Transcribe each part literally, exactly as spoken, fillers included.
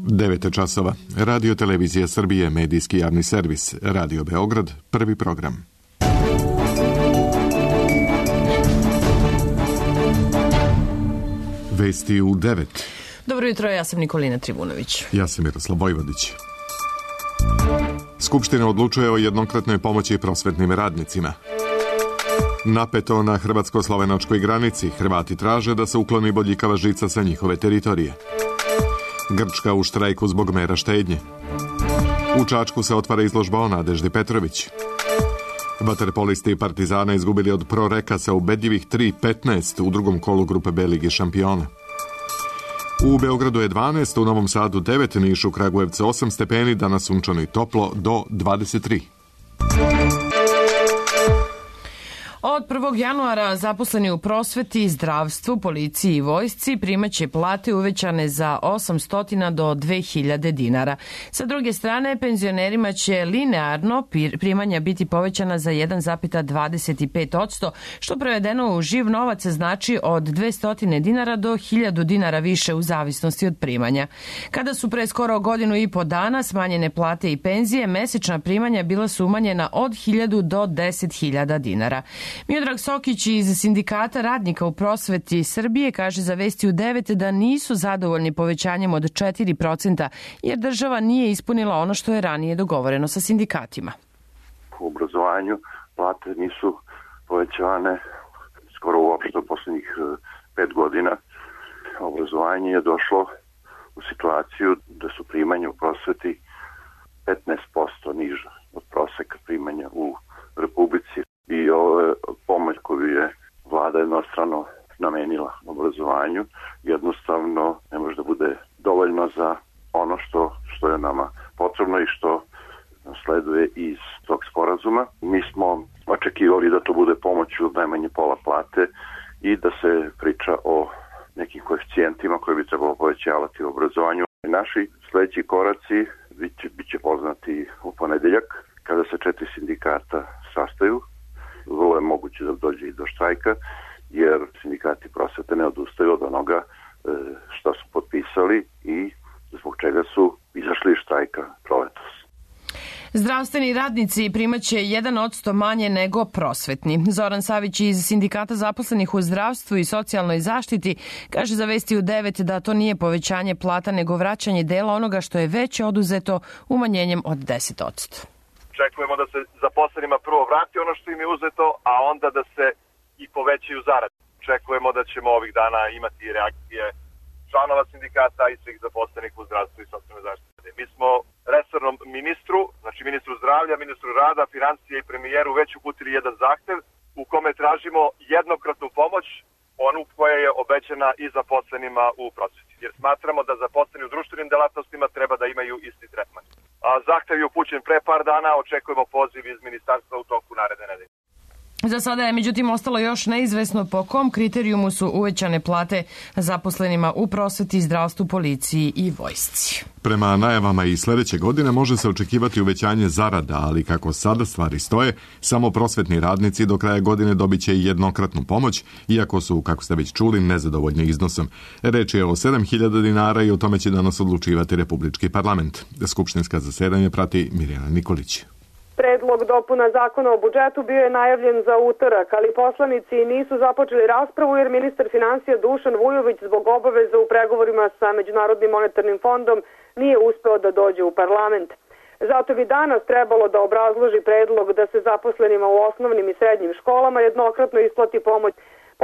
devet časova. Radio Televizija Srbije, medijski javni servis. Radio Beograd, prvi program. Vesti u devet. Dobro jutro, ja sam Nikolina Trivunović. Ja sam Miroslav Vojvodić. Skupština odlučuje o jednokratnoj pomoći prosvetnim radnicima. Napeto na hrvatsko-slovenačkoj granici. Hrvati traže da se ukloni bodljikava žica sa njihove teritorije. Grčka u štrajku zbog mera štednje. U Čačku se otvara izložba o Nadeždi Petrović. Vaterpolisti Partizana izgubili od Proreka sa ubedljivih tri petnaest u drugom kolu grupe B Lige šampiona. U Beogradu je dvanaest, u Novom Sadu devet, Nišu, Kragujevcu osam stepeni, danas sunčano i toplo do dvadeset tri. Od prvog januara zaposleni u prosveti, zdravstvu, policiji i vojsci primaće plate uvećane za osamsto do dve hiljade dinara. Sa druge strane, penzionerima će linearno primanja biti povećana za jedan zarez dvadeset pet posto, što prevedeno u živ novac znači od dvesta dinara do hiljadu dinara više u zavisnosti od primanja. Kada su pre skoro godinu i po dana smanjene plate i penzije, mesečna primanja bila su umanjena od hiljadu do deset hiljada dinara. Miodrag Sokić iz Sindikata radnika u prosveti Srbije kaže za Vesti u devet da nisu zadovoljni povećanjem od četiri procenta jer država nije ispunila ono što je ranije dogovoreno sa sindikatima. U obrazovanju plate nisu povećane skoro uopšte u poslednjih pet godina. Obrazovanje je došlo u situaciju da su primanja u prosveti petnaest posto niža od proseka primanja u Republici. I ova pomoć koju je vlada jednostrano namenila obrazovanju jednostavno ne može da bude dovoljno za ono što, što je nama potrebno i što sleduje iz tog sporazuma. Mi smo očekivali da to bude pomoć od najmanje pola plate i da se priča o nekim koeficijentima koje bi trebalo povećavati u obrazovanju. Naši sledeći koraci biće, biće poznati u ponedeljak kada se četiri sindikata sastaju. Vrlo je moguće da dođe i do štrajka, jer sindikati prosvete ne odustaju od onoga što su potpisali i zbog čega su izašli iz štrajka proletos. Zdravstveni radnici primaće jedan posto manje nego prosvetni. Zoran Savić iz Sindikata zaposlenih u zdravstvu i socijalnoj zaštiti kaže za Vesti u devet da to nije povećanje plata nego vraćanje dela onoga što je već oduzeto umanjenjem od deset posto. Očekujemo da se zaposlenima prvo vrati ono što im je uzeto, a onda da se i povećaju zarade. Očekujemo da ćemo ovih dana imati reakcije članova sindikata i svih zaposlenih u zdravstvu i socijalnoj zaštiti. Mi smo resornom ministru, znači ministru zdravlja, ministru rada, financije i premijeru već uputili jedan zahtev u kome tražimo jednokratnu pomoć, onu koja je obećana i zaposlenima u prosveti. Jer smatramo da zaposleni u društvenim delatnostima treba da imaju isti tretman. A zahtev je upućen pre par dana, očekujemo poziv iz ministarstva u toku naredne nedelje. Za sada je međutim ostalo još neizvesno po kom kriterijumu su uvećane plate zaposlenima u prosveti, zdravstvu, policiji i vojsci. Prema najavama i sledeće godine može se očekivati uvećanje zarada, ali kako sada stvari stoje, samo prosvetni radnici do kraja godine dobit će jednokratnu pomoć, iako su, kako ste već čuli, nezadovoljni iznosom. Reč je o sedam hiljada dinara i o tome će danas odlučivati Republički parlament. Skupštinska zasedanja prati Mirjana Nikolić. Predlog dopuna zakona o budžetu bio je najavljen za utorak, ali poslanici nisu započeli raspravu jer ministar finansija Dušan Vujović zbog obaveza u pregovorima sa Međunarodnim monetarnim fondom nije uspeo da dođe u parlament. Zato bi danas trebalo da obrazloži predlog da se zaposlenima u osnovnim i srednjim školama jednokratno isplati pomoć.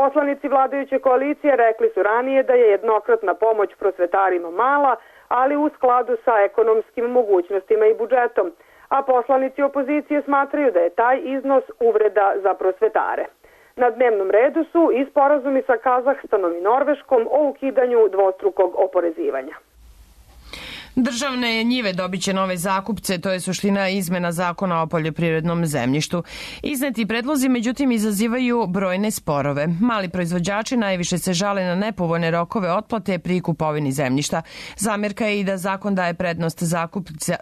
Poslanici vladajuće koalicije rekli su ranije da je jednokratna pomoć prosvetarima mala, ali u skladu sa ekonomskim mogućnostima i budžetom. A poslanici opozicije smatraju da je taj iznos uvreda za prosvetare. Na dnevnom redu su i sporazumi sa Kazahstanom i Norveškom o ukidanju dvostrukog oporezivanja. Državne njive dobit će nove zakupce, to je suština izmena zakona o poljoprivrednom zemljištu. Izneti predlozi, međutim, izazivaju brojne sporove. Mali proizvođači najviše se žale na nepovoljne rokove otplate pri kupovini zemljišta. Zamerka je i da zakon daje prednost, zakupca,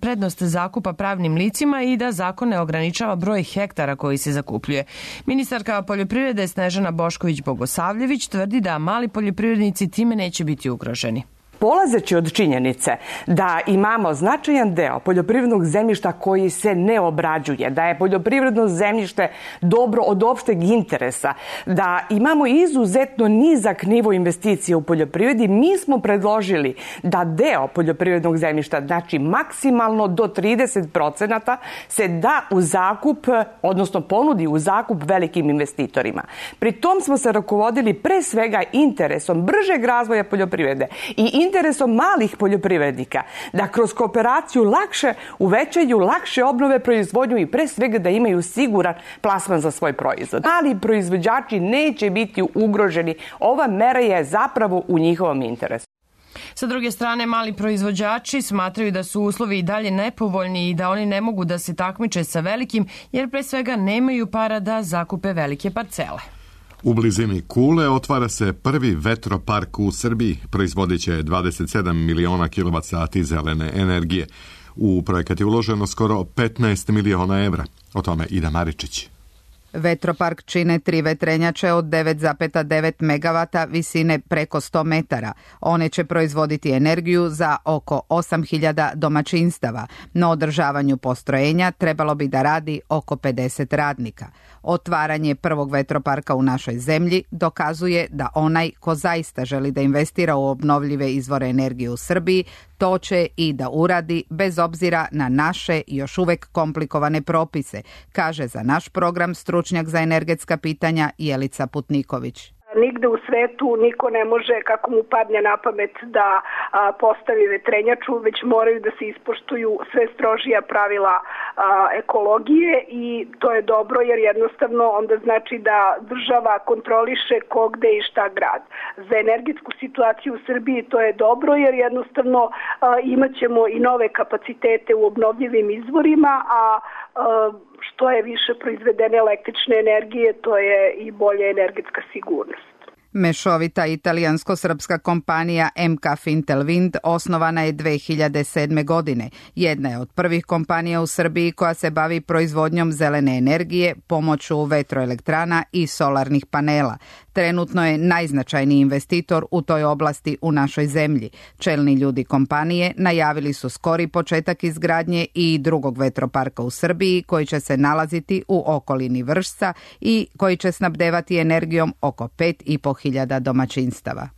prednost zakupa pravnim licima i da zakon ne ograničava broj hektara koji se zakupljuje. Ministarka poljoprivrede Snežana Bošković-Bogosavljević tvrdi da mali poljoprivrednici time neće biti ugroženi. Polazeći od činjenice da imamo značajan deo poljoprivrednog zemljišta koji se ne obrađuje, da je poljoprivredno zemljište dobro od opšteg interesa, da imamo izuzetno nizak nivo investicije u poljoprivredi, mi smo predložili da deo poljoprivrednog zemljišta, znači maksimalno do trideset procenata, se da u zakup, odnosno ponudi u zakup velikim investitorima. Pri tom smo se rukovodili pre svega interesom bržeg razvoja poljoprivrede i interesom malih poljoprivrednika da kroz kooperaciju lakše uvećaju, lakše obnove proizvodnju i pre svega da imaju siguran plasman za svoj proizvod. Mali proizvođači neće biti ugroženi. Ova mera je zapravo u njihovom interesu. Sa druge strane, mali proizvođači smatraju da su uslovi i dalje nepovoljni i da oni ne mogu da se takmiče sa velikim, jer pre svega nemaju para da zakupe velike parcele. U blizini Kule otvara se prvi vetropark u Srbiji. Proizvodit će dvadeset sedam miliona kilovat sati zelene energije. U projekat je uloženo skoro petnaest miliona evra. O tome Ida Maričić. Vetropark čine tri vetrenjače od devet zarez devet megavata visine preko sto metara. One će proizvoditi energiju za oko osam hiljada domaćinstava. Na održavanju postrojenja trebalo bi da radi oko pedeset radnika. Otvaranje prvog vetroparka u našoj zemlji dokazuje da onaj ko zaista želi da investira u obnovljive izvore energije u Srbiji, to će i da uradi bez obzira na naše još uvek komplikovane propise, kaže za naš program stručnjak za energetska pitanja Jelica Putniković. Nigde u svetu niko ne može, kako mu padne na pamet, da a, postavi vetrenjaču, već moraju da se ispoštuju sve strožija pravila a, ekologije i to je dobro jer jednostavno onda znači da država kontroliše ko, gde i šta grad. Za energetsku situaciju u Srbiji to je dobro jer jednostavno a, imat ćemo i nove kapacitete u obnovljivim izvorima, a, a što je više proizvedene električne energije, to je i bolja energetska sigurnost. Mešovita italijansko-srpska kompanija M K Fintelwind osnovana je dve hiljade sedme. godine. Jedna je od prvih kompanija u Srbiji koja se bavi proizvodnjom zelene energije pomoću vetroelektrana i solarnih panela. Trenutno je najznačajniji investitor u toj oblasti u našoj zemlji. Čelni ljudi kompanije najavili su skori početak izgradnje i drugog vetroparka u Srbiji koji će se nalaziti u okolini Vršca i koji će snabdevati energijom oko pet i po hiljada domaćinstava.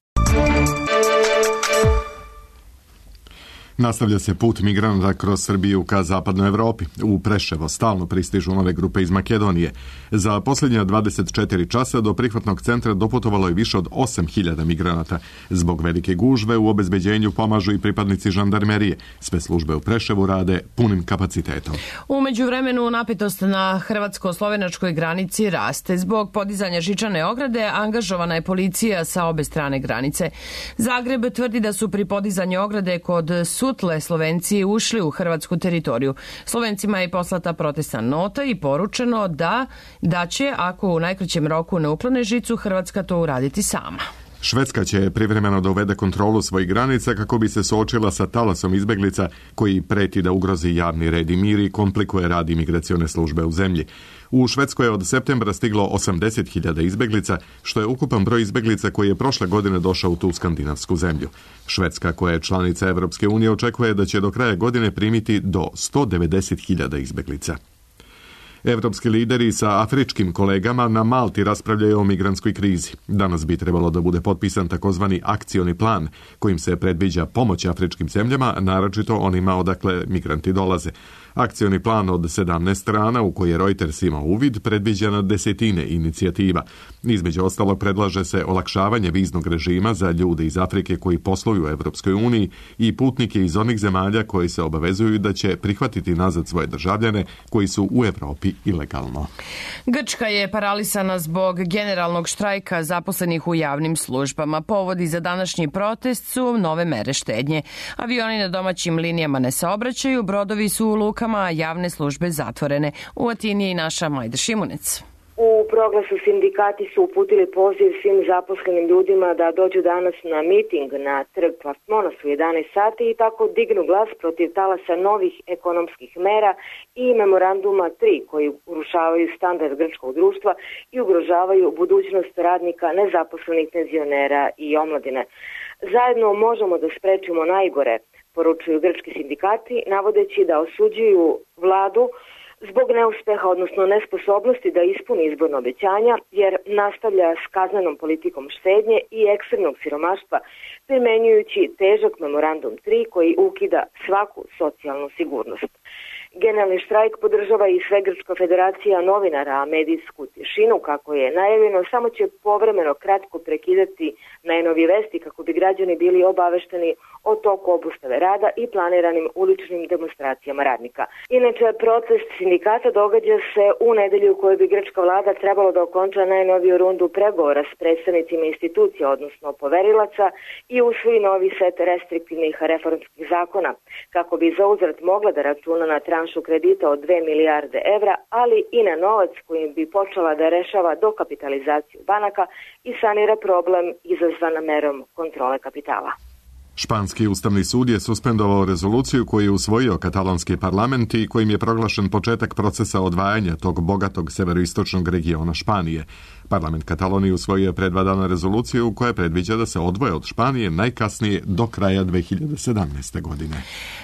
Nastavlja se put migranata kroz Srbiju ka zapadnoj Evropi. U Preševo stalno pristižu nove grupe iz Makedonije. Za posljednja dvadeset četiri časa do prihvatnog centra doputovalo je više od osam hiljada migranata. Zbog velike gužve u obezbeđenju pomažu i pripadnici žandarmerije. Sve službe u Preševu rade punim kapacitetom. U međuvremenu napetost na hrvatsko-slovenačkoj granici raste. Zbog podizanja žičane ograde angažovana je policija sa obe strane granice. Zagreb tvrdi da su pri podizanju ograde kod Sutle Slovenci ušli u hrvatsku teritoriju. Slovencima je poslata protestna nota i poručeno da, da će, ako u najkraćem roku ne uklone žicu, Hrvatska to uraditi sama. Švedska će privremeno da uvede kontrolu svojih granica kako bi se suočila sa talasom izbeglica koji preti da ugrozi javni red i mir i komplikuje rad imigracione službe u zemlji. U Švedskoj je od septembra stiglo osamdeset hiljada izbeglica, što je ukupan broj izbeglica koji je prošle godine došao u tu skandinavsku zemlju. Švedska, koja je članica Evropske unije, očekuje da će do kraja godine primiti do sto devedeset hiljada izbeglica. Evropski lideri sa afričkim kolegama na Malti raspravljaju o migrantskoj krizi. Danas bi trebalo da bude potpisan takozvani akcioni plan, kojim se predviđa pomoć afričkim zemljama, naročito onima odakle migranti dolaze. Akcioni plan od sedamnaest strana, u koji je Reuters imao uvid, predviđa na desetine inicijativa. Između ostalog predlaže se olakšavanje viznog režima za ljude iz Afrike koji posluju u Evropskoj uniji i putnike iz onih zemalja koji se obavezuju da će prihvatiti nazad svoje državljane koji su u Evropi ilegalno. Grčka je paralisana zbog generalnog štrajka zaposlenih u javnim službama. Povodi za današnji protest su nove mere štednje. Avioni na domaćim linijama ne saobraćaju, brodovi su u lukama, a javne službe zatvorene. U Atini je i naša Majda Šimunec. U proglasu sindikati su uputili poziv svim zaposlenim ljudima da dođu danas na miting na trg Platmonas u jedanaest sati i tako dignu glas protiv talasa novih ekonomskih mera i memoranduma tri koji urušavaju standard grčkog društva i ugrožavaju budućnost radnika, nezaposlenih, penzionera i omladine. Zajedno možemo da sprečimo najgore, poručuju grčki sindikati, navodeći da osuđuju vladu zbog neuspeha, odnosno nesposobnosti da ispuni izborno obećanja, jer nastavlja s kaznenom politikom štednje i ekstremnog siromaštva, primenjujući težak memorandum tri koji ukida svaku socijalnu sigurnost. Generalni štrajk podržava i Svegrčka federacija novinara, a medijsku tišinu, kako je najavljeno, samo će povremeno kratko prekidati najnovije vesti kako bi građani bili obavešteni o toku obustave rada i planiranim uličnim demonstracijama radnika. Inače, protest sindikata događa se u nedelju u kojoj bi grčka vlada trebalo da okonča najnoviju rundu pregovora s predstavnicima institucija, odnosno poverilaca, i usvoji novi set restriktivnih reformskih zakona, kako bi za uzvrat mogla da računa na tranšu kredita od dve milijarde evra, ali i na novac kojim bi počela da rešava dokapitalizaciju banaka i sanira problem izazvan merom kontrole kapitala. Španski ustavni sud je suspendovao rezoluciju koju je usvojio katalonski parlament i kojim je proglašen početak procesa odvajanja tog bogatog severoistočnog regiona Španije. Parlament Katalonije usvojio je pre dva dana rezoluciju koja predviđa da se odvoje od Španije najkasnije do kraja dve hiljade sedamnaeste. godine.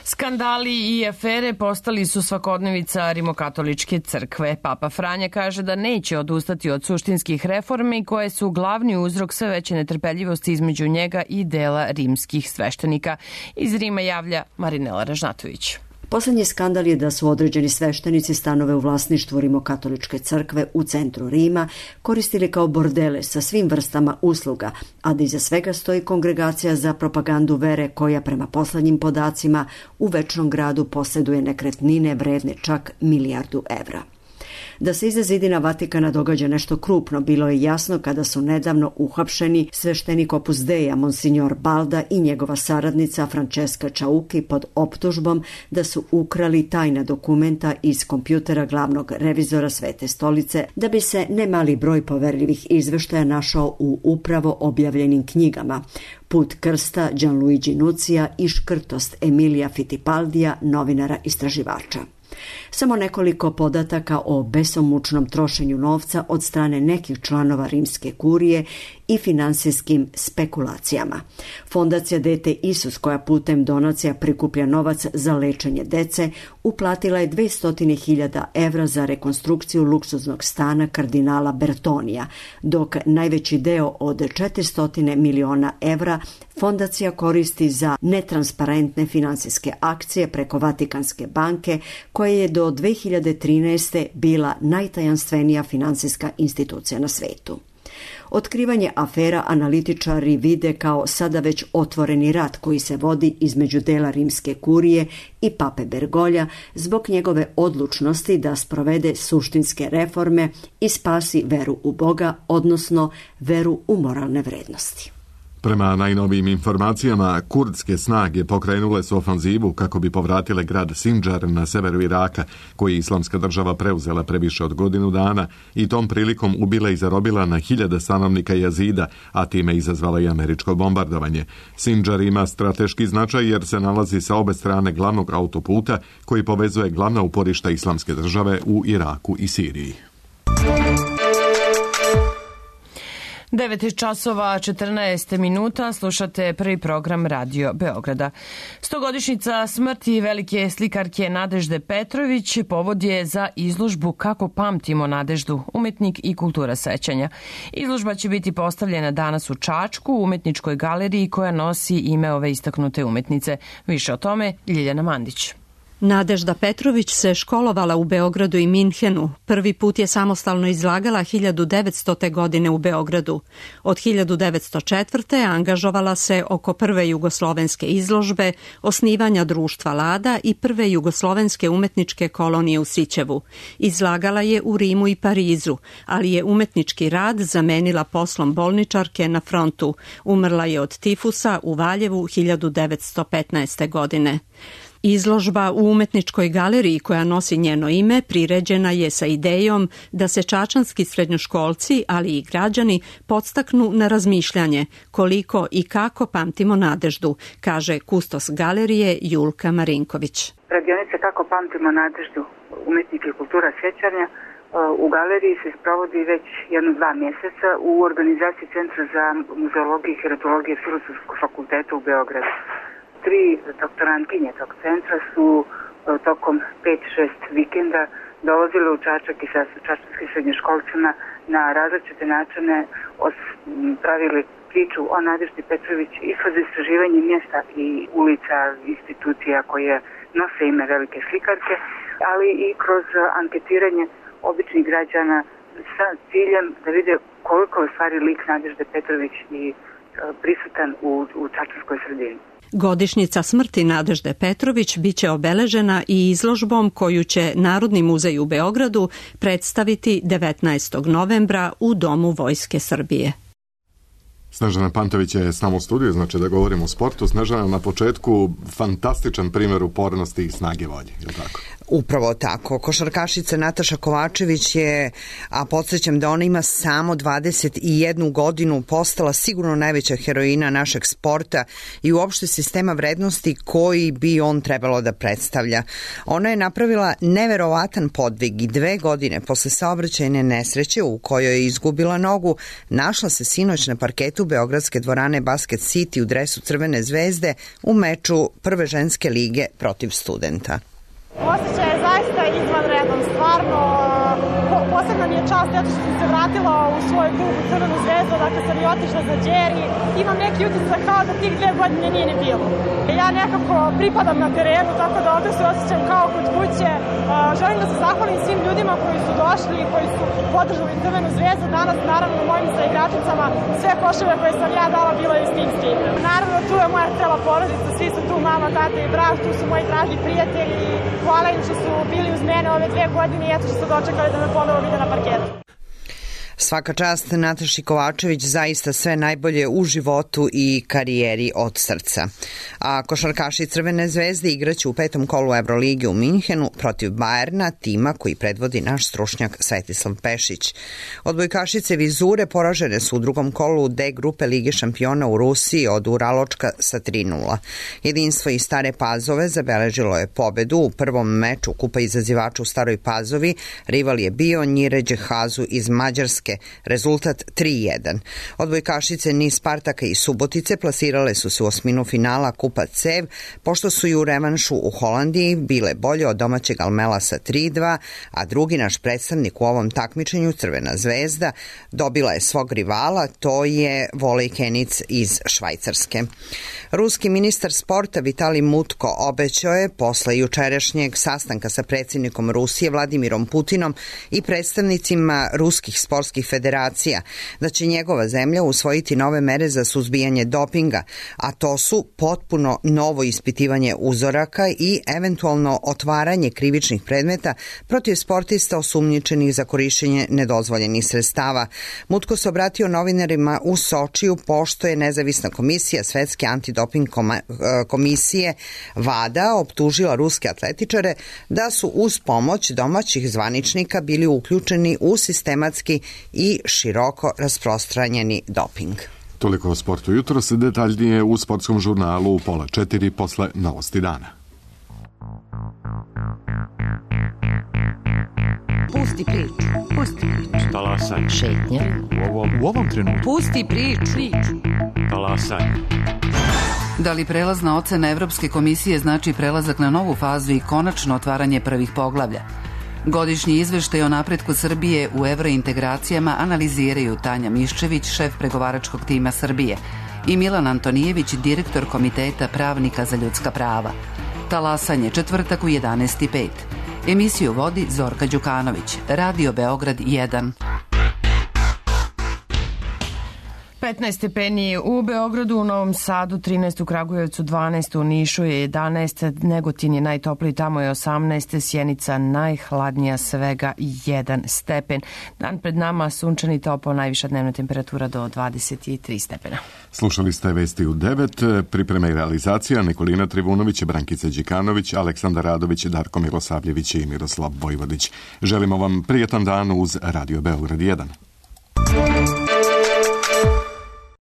Skandali i afere postali su svakodnevica rimokatoličke crkve. Papa Franja kaže da neće odustati od suštinskih reformi koje su glavni uzrok sve veće netrpeljivosti između njega i dela rimskih sveštenika. Iz Rima javlja Marinela Ražnatović. Poslednji skandal je da su određeni sveštenici stanove u vlasništvu Rimokatoličke crkve u centru Rima koristili kao bordele sa svim vrstama usluga, a da iza svega stoji kongregacija za propagandu vere koja prema poslednjim podacima u Večnom gradu posjeduje nekretnine vredne čak milijardu evra. Da se iza zidina Vatikana događa nešto krupno bilo je jasno kada su nedavno uhapšeni sveštenik Opus Deja Monsignor Balda i njegova saradnica Francesca Čauki pod optužbom da su ukrali tajna dokumenta iz kompjutera glavnog revizora Svete stolice da bi se nemali broj poverljivih izveštaja našao u upravo objavljenim knjigama Put krsta Gianluigi Nucija i Škrtost Emilija Fittipaldija, novinara istraživača. Samo nekoliko podataka o besomučnom trošenju novca od strane nekih članova rimske kurije i finansijskim spekulacijama. Fondacija Dete Isus, koja putem donacija prikuplja novac za lečenje dece, uplatila je dvesta hiljada evra za rekonstrukciju luksuznog stana kardinala Bertonija, dok najveći deo od četiristo miliona evra fondacija koristi za netransparentne finansijske akcije preko Vatikanske banke, koja je do dve hiljade trinaeste. bila najtajanstvenija finansijska institucija na svetu. Otkrivanje afera analitičari vide kao sada već otvoreni rat koji se vodi između dela rimske kurije i pape Bergolja zbog njegove odlučnosti da sprovede suštinske reforme i spasi veru u Boga, odnosno veru u moralne vrednosti. Prema najnovijim informacijama, kurdske snage pokrenule su ofanzivu kako bi povratile grad Sindžar na severu Iraka, koji je Islamska država preuzela pre više od godinu dana i tom prilikom ubila i zarobila na hiljade stanovnika Jazida, a time izazvala i američko bombardovanje. Sindžar ima strateški značaj jer se nalazi sa obe strane glavnog autoputa koji povezuje glavna uporišta Islamske države u Iraku i Siriji. devet časova četrnaest minuta, slušate prvi program Radio Beograda. Stogodišnjica smrti velike slikarke Nadežde Petrović povod je za izložbu Kako pamtimo Nadeždu, umetnik i kultura sećanja. Izložba će biti postavljena danas u Čačku, u umetničkoj galeriji koja nosi ime ove istaknute umetnice. Više o tome Ljiljana Mandić. Nadežda Petrović se školovala u Beogradu i Minhenu. Prvi put je samostalno izlagala hiljadu devetstote. godine u Beogradu. Od hiljadu devetsto četvrte. angažovala se oko prve jugoslovenske izložbe, osnivanja društva Lada i prve jugoslovenske umetničke kolonije u Sićevu. Izlagala je u Rimu i Parizu, ali je umetnički rad zamenila poslom bolničarke na frontu. Umrla je od tifusa u Valjevu hiljadu devetsto petnaeste. godine. Izložba u umetničkoj galeriji koja nosi njeno ime priređena je sa idejom da se čačanski srednjoškolci, ali i građani, podstaknu na razmišljanje koliko i kako pamtimo Nadeždu, kaže kustos galerije Julka Marinković. Radionica Kako pamtimo Nadeždu, umetnik i kultura sećanja, u galeriji se sprovodi već jedno dva mjeseca u organizaciji Centra za muzeologiju i heritologiju Filozofskog fakulteta u Beogradu. Tri doktorantkinje tog centra su tokom pet šest vikenda dolazile u Čačak i sa čačanskim srednjoškolcima na različite načine pravili priču o Nadeždi Petrović i kroz istraživanje mjesta i ulica, institucija koje nose ime velike slikarke, ali i kroz anketiranje običnih građana sa ciljem da vide koliko je u stvari lik Nadežde Petrović i prisutan u, u čačanskoj sredini. Godišnjica smrti Nadežde Petrović biće obeležena i izložbom koju će Narodni muzej u Beogradu predstaviti devetnaestog novembra u Domu Vojske Srbije. Snežana Pantović je s nama u studiju, znači da govorimo o sportu. Snežana, na početku fantastičan primjer upornosti i snage volje, je li tako? Upravo tako. Košarkašica Nataša Kovačević je, a podsjećam da ona ima samo dvadeset jednu godinu, postala sigurno najveća heroina našeg sporta i uopšte sistema vrednosti koji bi on trebalo da predstavlja. Ona je napravila neverovatan podvig i dve godine posle saobraćajne nesreće u kojoj je izgubila nogu, našla se sinoć na parketu beogradske dvorane Basket City u dresu Crvene zvezde u meču prve ženske lige protiv Studenta. Osjećaj je zaista izvanredan, stvarno posebna mi je čast zato što sam se vratila u svoj klub u Crvenu zvezdu, dakle sam i otišla za Đeri, imam neki utisak kao da tih dve godine nije ni bilo. Ja nekako pripadam na terenu, tako da ovdje se osjećam kao kod kuće. Želim da se zahvalim svim ljudima koji su došli i koji su podržali Crvenu zvezdu. Danas, naravno, mojim saigračicama sve koševe koje sam ja dala bilo je istinski. Naravno, tu je moja cela porodica, svi su tu, mama, tata i brat, tu su moji dragi prijatelji. Hvala im što su bili uz mene ove dve godine i eto što su dočekali da me ponovo vide na parketu. Svaka čast Nataši Kovačević, zaista sve najbolje u životu i karijeri od srca. A košarkaši Crvene zvezde igraće u petom kolu Evrolige u Minhenu protiv Bajerna, tima koji predvodi naš stručnjak Svetislav Pešić. Odbojkašice Vizure poražene su u drugom kolu D grupe Lige šampiona u Rusiji od Uraločka sa tri nula. Jedinstvo iz Stare Pazove zabeležilo je pobedu u prvom meču Kupa izazivača u Staroj Pazovi. Rival je bio Njiređe Hazu iz Mađarske. Rezultat tri jedan. Odbojkašice Niš Spartaka i Subotice plasirale su se u osminu finala Kupa Cev, pošto su i u revanšu u Holandiji bile bolje od domaćeg Almela sa tri dva, a drugi naš predstavnik u ovom takmičenju, Crvena zvezda, dobila je svog rivala, to je volejkenic iz Švajcarske. Ruski ministar sporta Vitali Mutko obećao je posle jučerašnjeg sastanka sa predsjednikom Rusije Vladimirom Putinom i predstavnicima ruskih sportskih federacija da će njegova zemlja usvojiti nove mere za suzbijanje dopinga, a to su potpuno novo ispitivanje uzoraka i eventualno otvaranje krivičnih predmeta protiv sportista osumnjičenih za korišćenje nedozvoljenih sredstava. Mutko se obratio novinarima u Sočiju pošto je nezavisna komisija Svetske antidoping komisije VADA optužila ruske atletičare da su uz pomoć domaćih zvaničnika bili uključeni u sistematski i široko rasprostranjeni doping. Toliko o sportu jutros, detaljnije u sportskom žurnalu u pola četiri posle novosti dana. Pusti priču, pusti priču. Talasaj. Šetnja. U ovom, u ovom trenutku. Pusti priču. priču. Talasaj. Da li prelazna ocena Evropske komisije znači prelazak na novu fazu i konačno otvaranje prvih poglavlja? Godišnji izveštaj o napretku Srbije u evrointegracijama analiziraju Tanja Miščević, šef pregovaračkog tima Srbije, i Milan Antonijević, direktor Komiteta pravnika za ljudska prava. Talasanje četvrtak u jedanaest i pet. Emisiju vodi Zorka Đukanović. Radio Beograd jedan. petnaest stepeni u Beogradu, u Novom Sadu trinaest, u Kragujevcu dvanaest, u Nišu je jedanaest, Negotin je najtopliji, tamo je osamnaest, Sjenica najhladnija, svega jedan stepen. Dan pred nama sunčani, topao, najviša dnevna temperatura do dvadeset tri stepena. Slušali ste vesti u devet, priprema i realizacija Nikolina Trivunović, Brankica Đikanović, Aleksandar Radović, Darko Milosavljević i Miroslav Vojvodić. Želimo vam prijetan dan uz Radio Beograd jedan.